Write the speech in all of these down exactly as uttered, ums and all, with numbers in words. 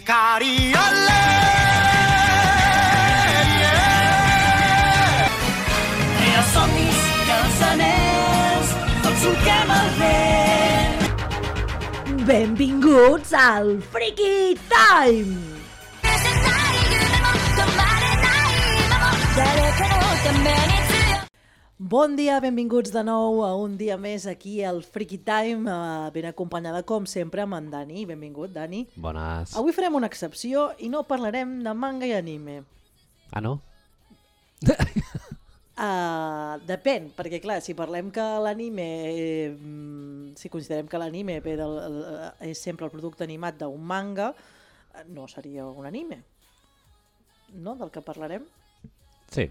Hikari, olé! Tria somnis, cançoners, tots solquem el vent. Benvinguts al Freaky Time! Bon dia, benvinguts de nou a un dia més aquí al Freaky Time, eh, ben acompanyada com sempre amb en Dani. Benvingut, Dani. Bones. Avui farem una excepció i no parlarem de manga i anime. Ah, no? Uh, depèn, perquè clar, si parlem que l'anime, eh, si considerem que l'anime ve del, és sempre el producte animat d'un manga, no seria un anime, no? Del que parlarem? Sí.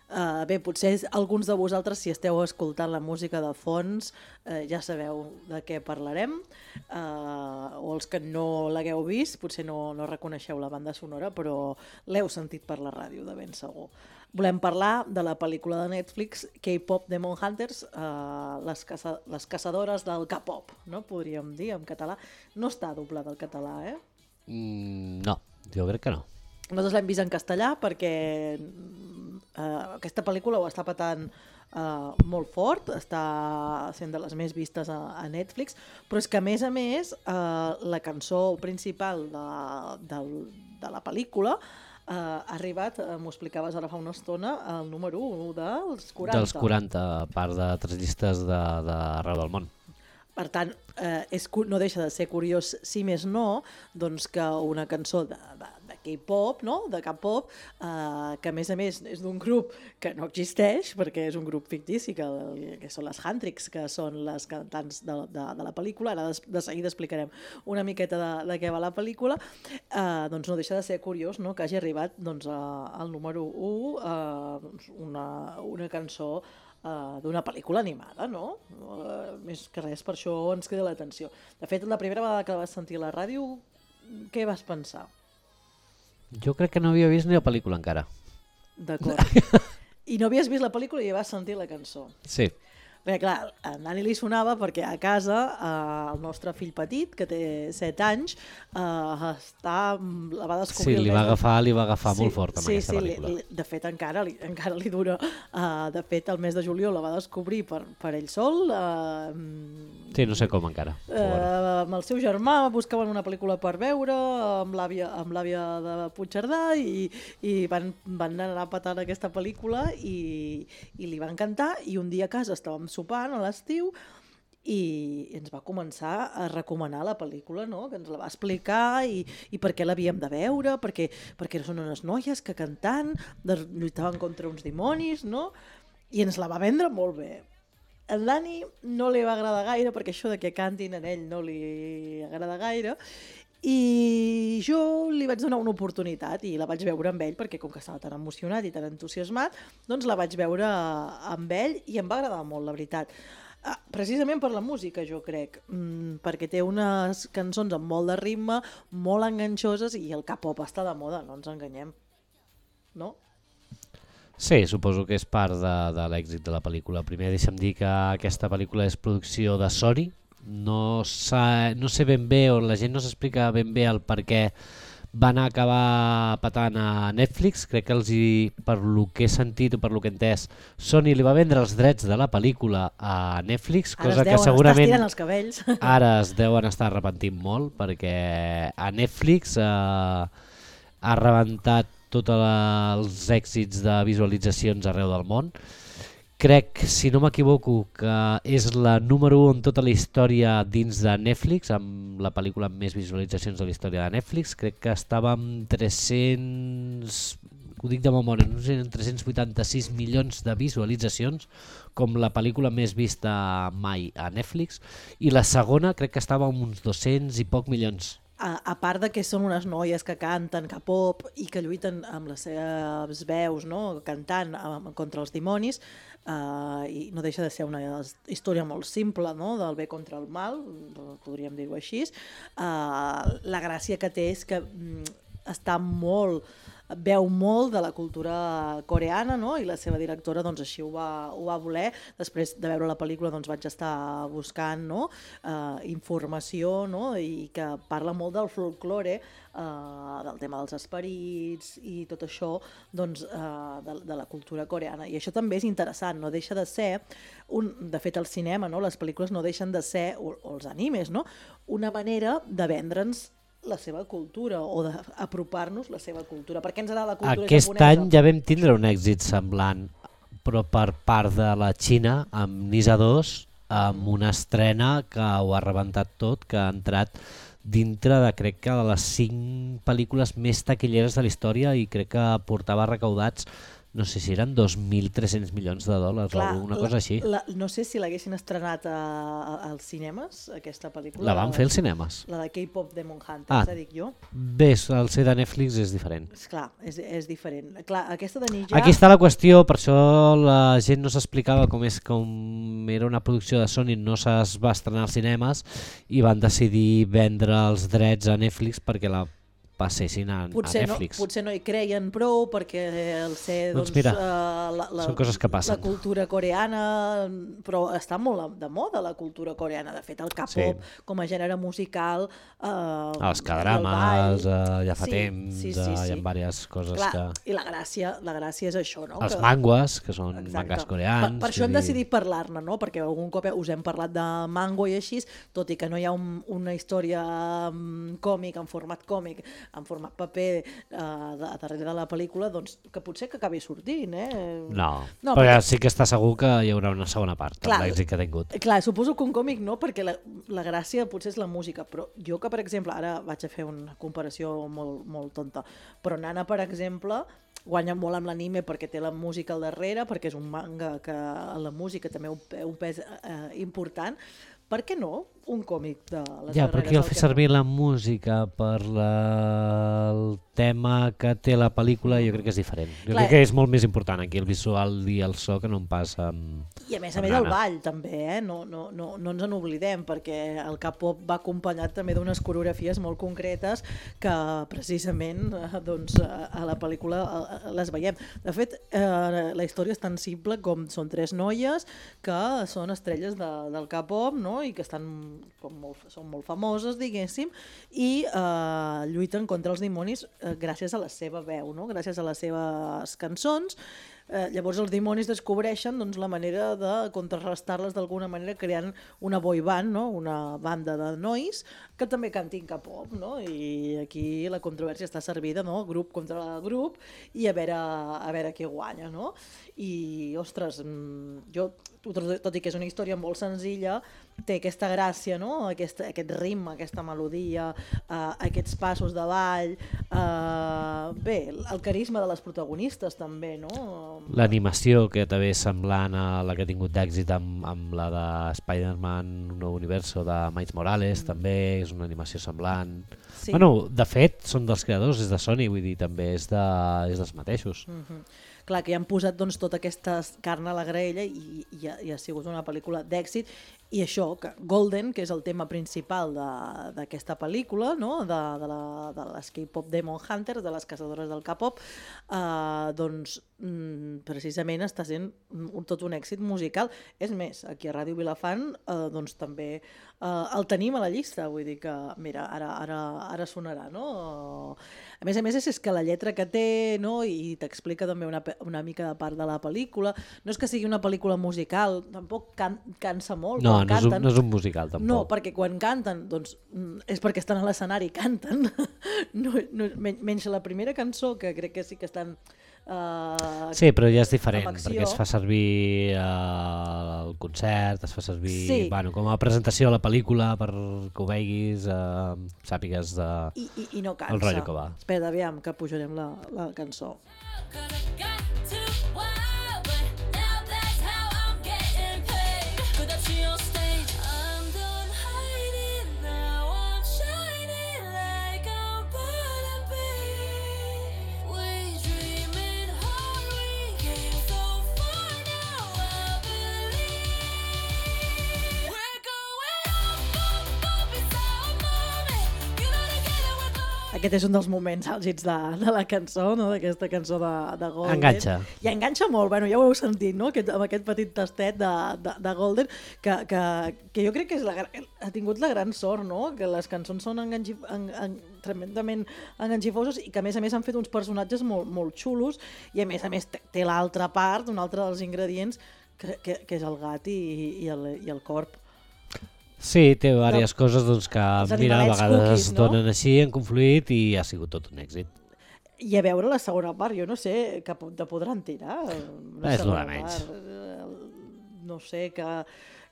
Uh, bé, potser alguns de vosaltres, si esteu escoltant la música de fons, uh, ja sabeu de què parlarem, uh, o els que no l'hagueu vist, potser no, no reconeixeu la banda sonora, però l'heu sentit per la ràdio, de ben segur. Volem parlar de la pel·lícula de Netflix K-pop Demon Hunters, uh, les, caça les caçadores del K-pop, no? Podríem dir en català. No està doblada al català, eh? Mm, no, jo crec que no. Nosaltres l'hem vist en castellà perquè uh, aquesta pel·lícula ho està patant uh, molt fort, està sent de les més vistes a, a Netflix, però és que a més a més uh, la cançó principal de, de, de la pel·lícula uh, ha arribat, uh, m'ho explicaves ara fa una estona, al número u dels quaranta. Dels quaranta, a part de tres llistes d'arreu del món. Per tant, eh, és, no deixa de ser curiós, si més no, doncs que una cançó de, de, de K-pop, no? De K-pop, eh, que a més a més és d'un grup que no existeix, perquè és un grup fictici, que, que són les Huntrix, que són les cantants de, de, de la pel·lícula. Ara de, de seguida explicarem una miqueta de, de què va la pel·lícula. Eh, doncs no deixa de ser curiós, no? Que hagi arribat doncs, a, al número u eh, una, una cançó Uh, d'una pel·lícula animada, no? Uh, més que res, per això ens crida l'atenció. De fet, la primera vegada que la vas sentir a la ràdio, què vas pensar? Jo crec que no havia vist ni la pel·lícula encara. D'acord. I no havies vist la pel·lícula i ja vas sentir la cançó. Sí. Perquè, clar, a Dani li sonava perquè a casa eh, el nostre fill petit, que té set anys, eh, està, la va descobrir... Sí, li va agafar, li va agafar sí, molt fort amb sí, aquesta sí, pel·lícula. Li, de fet, encara li, encara li dura. Uh, de fet, el mes de juliol la va descobrir per, per ell sol. Uh, sí, no sé com encara. Uh, amb el seu germà buscaven una pel·lícula per veure, amb l'àvia amb l'àvia de Puigcerdà, i, i van, van anar patant aquesta pel·lícula i, i li va encantar, i un dia a casa estàvem sopant a l'estiu i ens va començar a recomanar la pel·lícula, no? Que ens la va explicar i, i per què l'havíem de veure, perquè, perquè són unes noies que cantant de, lluitaven contra uns dimonis, no? I ens la va vendre molt bé. A Dani no li va agradar gaire, perquè això de que cantin en ell no li agrada gaire, i jo li vaig donar una oportunitat i la vaig veure amb ell, perquè com que estava tan emocionat i tan entusiasmat, doncs la vaig veure amb ell i em va agradar molt, la veritat. Ah, precisament per la música, jo crec, mm, perquè té unes cançons amb molt de ritme, molt enganxoses, i el K-pop està de moda, no ens enganyem, no? Sí, suposo que és part de, de l'èxit de la pel·lícula. Primer deixa'm dir que aquesta pel·lícula és producció de Sony. No, no sé ben bé, o la gent no s'explica ben bé el per què van acabar patant a Netflix. Crec que els hi, per lo que he sentit o per lo que he entès, Sony li va vendre els drets de la pel·lícula a Netflix, ara cosa que segurament els cabells. ara es deuen estar arrepentint molt, perquè a Netflix eh, ha rebentat tots els èxits de visualitzacions arreu del món. Crec, si no m'equivoco, que és la número u en tota la història dins de Netflix, amb la pel·lícula amb més visualitzacions de la història de Netflix. Crec que estava amb tres-cents, ho dic de memòria, no sé, tres-cents vuitanta-sis milions de visualitzacions, com la pel·lícula més vista mai a Netflix, i la segona crec que estava amb uns dos-cents i poc milions. A, a part de que són unes noies que canten K-pop i que lluiten amb les seves veus, no? Cantant um, contra els dimonis, uh, i no deixa de ser una història molt simple, no? Del bé contra el mal, podríem dir-ho així. Uh, la gràcia que té és que um, està molt veu molt de la cultura coreana, no? I la seva directora doncs, així ho va, ho va voler. Després de veure la pel·lícula doncs, vaig estar buscant, no? uh, informació, no? I que parla molt del folklore, uh, del tema dels esperits i tot això doncs, uh, de, de la cultura coreana. I això també és interessant, no deixa de ser, un, de fet el cinema, no? Les pel·lícules no deixen de ser, o, o els animes, no? Una manera de vendre'ns la seva cultura o d'apropar-nos la seva cultura. Per què ens agrada la cultura Aquest japonesa? any ja vam tindre un èxit semblant, però per part de la Xina, amb Nisa dos, amb una estrena que ho ha rebentat tot, que ha entrat dintre de, crec que, de les cinc pel·lícules més taquilleres de la història i crec que portava recaudats, no sé si eren dos mil tres-cents milions de dòlars o alguna cosa així. La, no sé si l'haguessin estrenat a, a, als cinemes, aquesta pel·lícula. La van fer als cinemes? La de K-pop Demon Hunters, ah, dic jo. Bé, el ser de Netflix és diferent. Esclar, és, és diferent. Clar, aquesta de Ninja... Aquí està la qüestió, per això la gent no s'explicava com és com era una producció de Sony, no es va estrenar als cinemes i van decidir vendre els drets a Netflix perquè la passessin a, potser a Netflix. No, potser no hi creien prou perquè el ser doncs, doncs mira, uh, la, la, són coses que passen. La cultura coreana, però està molt de moda la cultura coreana. De fet, el K-pop sí. com a gènere musical... Uh, els K-drames, uh, ja fa sí, temps, sí, sí, uh, sí. hi ha diverses coses. Clar, que... I la gràcia, la gràcia és això, no? Els que... mangues, que són Exacte. mangas coreans. Per, per això hem dir... decidit parlar-ne, no? Perquè algun cop us hem parlat de mango i així, tot i que no hi ha un, una història um, còmic, en format còmic, en format paper, Uh, de, darrere de la pel·lícula, doncs que potser que acabi sortint, eh? No, no però perquè... sí que està segur que hi haurà una segona part, clar, amb l'èxit que ha tingut. Clar, suposo que un còmic no, perquè la, la gràcia potser és la música, però jo que, per exemple, ara vaig a fer una comparació molt, molt tonta, però Nana, per exemple, guanya molt amb l'anime perquè té la música al darrere, perquè és un manga que la música també té un pes eh, important. Per què no un còmic de les ja, però aquí el fer servir la música per la... el tema que té la pel·lícula jo crec que és diferent. Jo Clar, crec que és molt més important aquí el visual i el so que no em passa amb... I a més a més el ball també, eh? no, no, no, no ens n'oblidem perquè el K-pop va acompanyat també d'unes coreografies molt concretes que precisament doncs, a la pel·lícula les veiem. De fet, eh, la història és tan simple com són tres noies que són estrelles de, del K-pop, no? I que estan com molt, són molt famoses, diguéssim, i eh, lluiten contra els dimonis eh, gràcies a la seva veu, no? Gràcies a les seves cançons. Eh, llavors els dimonis descobreixen doncs, la manera de contrarrestar-les d'alguna manera creant una boy band, no? Una banda de nois que també cantin K-pop, no? I aquí la controvèrsia està servida, no? Grup contra grup i a veure, a veure qui guanya, no? I, ostres, jo, tot i que és una història molt senzilla, té aquesta gràcia, no? Aquest, aquest ritme, aquesta melodia, uh, aquests passos de ball, uh, bé, el carisma de les protagonistes també, no? L'animació que també és semblant a la que ha tingut d'èxit amb, amb la de Spider-Man Nou Universo de Miles Morales, mm. també és una animació semblant. Sí. Bueno, de fet, són dels creadors, és de Sony, vull dir, també és, de, és dels mateixos. Mm-hmm. Clar, que hi han posat doncs, tota aquesta carn a la graella i, i, ha, i ha sigut una pel·lícula d'èxit. I això, que Golden, que és el tema principal d'aquesta pel·lícula, no? de, de, la, de les K-pop Demon Hunters, de les caçadores del K-pop, eh, doncs mm, precisament està sent un, tot un èxit musical. És més, aquí a Ràdio Vilafant eh, doncs també eh, el tenim a la llista, vull dir que, mira, ara, ara, ara sonarà, no? A més a més és que la lletra que té, no? I t'explica també una, una mica de part de la pel·lícula. No és que sigui una pel·lícula musical, tampoc can, cansa molt. No, no és, un, no és un musical tampoc. No, perquè quan canten doncs, és perquè estan a l'escenari i canten. No, no, menys la primera cançó, que crec que sí que estan... Uh, sí, però ja és diferent, perquè es fa servir uh, el concert, es fa servir sí. bueno, com a presentació a la pel·lícula per que ho veguis, uh, sàpigues de... I, i, i no cansa. El rotllo que va. Espera, aviam, que pujarem la, la cançó. aquest és un dels moments àlgids de, de la cançó, no? D'aquesta cançó de, de Golden. Enganxa. I enganxa molt, bueno, ja ho heu sentit, no? Aquest, amb aquest petit tastet de, de, de Golden, que, que, que jo crec que és la, ha tingut la gran sort, no? Que les cançons són enganxi, en, en, tremendament enganxifoses i que a més a més han fet uns personatges molt, molt xulos i a més a més té, té l'altra part, un altre dels ingredients, que, que, que és el gat i, i, el, i el corp. Sí, té diverses no. coses doncs, que mira, a vegades cookies, es no? donen així, han confluït i ha sigut tot un èxit. I a veure la segona part, jo no sé, que te podran tirar. És l'hora menys. No sé, que,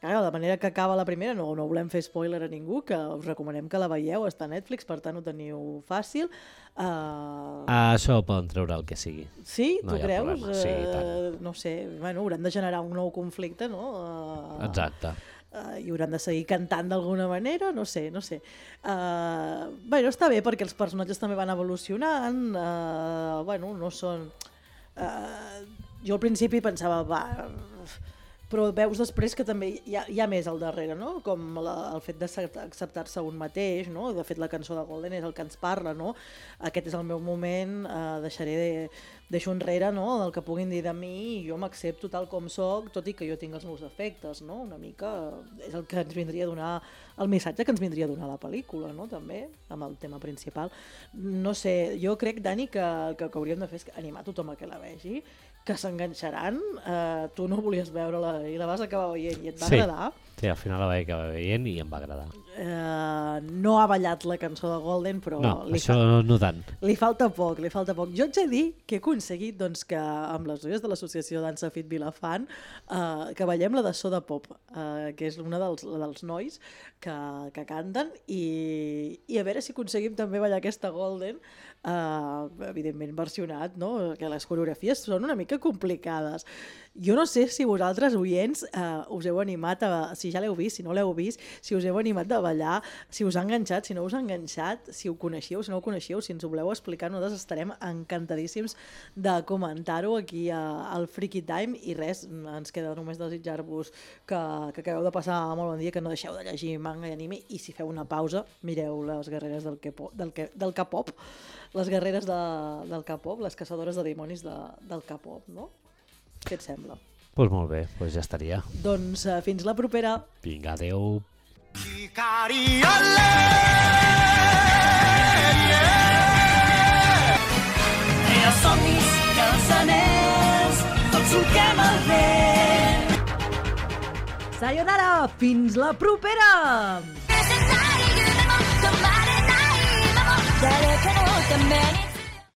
que de la manera que acaba la primera, no, no volem fer spoiler a ningú, que us recomanem que la veieu, està a Netflix, per tant ho teniu fàcil. Uh... Ah, això poden treure el que sigui. Sí? No tu creus? Sí, tant. Uh, no sé, bueno, hauran de generar un nou conflicte, no? Uh... Exacte. Uh, i hauran de seguir cantant d'alguna manera, no sé, no sé. Uh, bueno, està bé perquè els personatges també van evolucionant, uh, bueno, no són... Uh, jo al principi pensava, va... Però veus després que també hi ha, hi ha més al darrere, no? Com la, el fet d'acceptar-se un mateix, no? De fet, la cançó de Golden és el que ens parla, no? Aquest és el meu moment, eh, deixaré de, deixo enrere, no? Del que puguin dir de mi i jo m'accepto tal com soc, tot i que jo tinc els meus defectes, no? Una mica és el que ens vindria a donar, el missatge que ens vindria a donar la pel·lícula, no? També, amb el tema principal. No sé, jo crec, Dani, que el que, que hauríem de fer és animar tothom a que la vegi, que s'enganxaran, eh, tu no volies veure-la i la vas acabar veient i et va sí. agradar. Sí, al final la vaig acabar veient i em va agradar. Eh, no ha ballat la cançó de Golden, però no, li, això fa... no tant. li falta poc, li falta poc. Jo haig de dir que he aconseguit doncs, que amb les noies de l'associació Dansa Fit Vilafant eh, que ballem la de Soda Pop, eh, que és una dels, dels nois que, que canten i, i a veure si aconseguim també ballar aquesta Golden, eh, evidentment versionat, no? Que les coreografies són una mica complicades. Jo no sé si vosaltres, oients, eh, us heu animat, a, si ja l'heu vist, si no l'heu vist, si us heu animat a ballar, si us ha enganxat, si no us ha enganxat, si ho coneixeu, si no ho coneixeu, si ens ho voleu explicar, nosaltres estarem encantadíssims de comentar-ho aquí a, al Freaky Time i res, ens queda només desitjar-vos que, que acabeu de passar molt bon dia, que no deixeu de llegir manga i anime i si feu una pausa, mireu les guerreres del K-pop, del, del K-pop, les guerreres de, del K-pop, les caçadores de dimonis de, del K-pop, no? Què et sembla? Doncs pues molt bé, pues ja estaria. Doncs uh, fins la propera. Vinga, adeu. Crea somnis que els anells tots solquem el vent. Sayonara, fins la propera! 誰かのために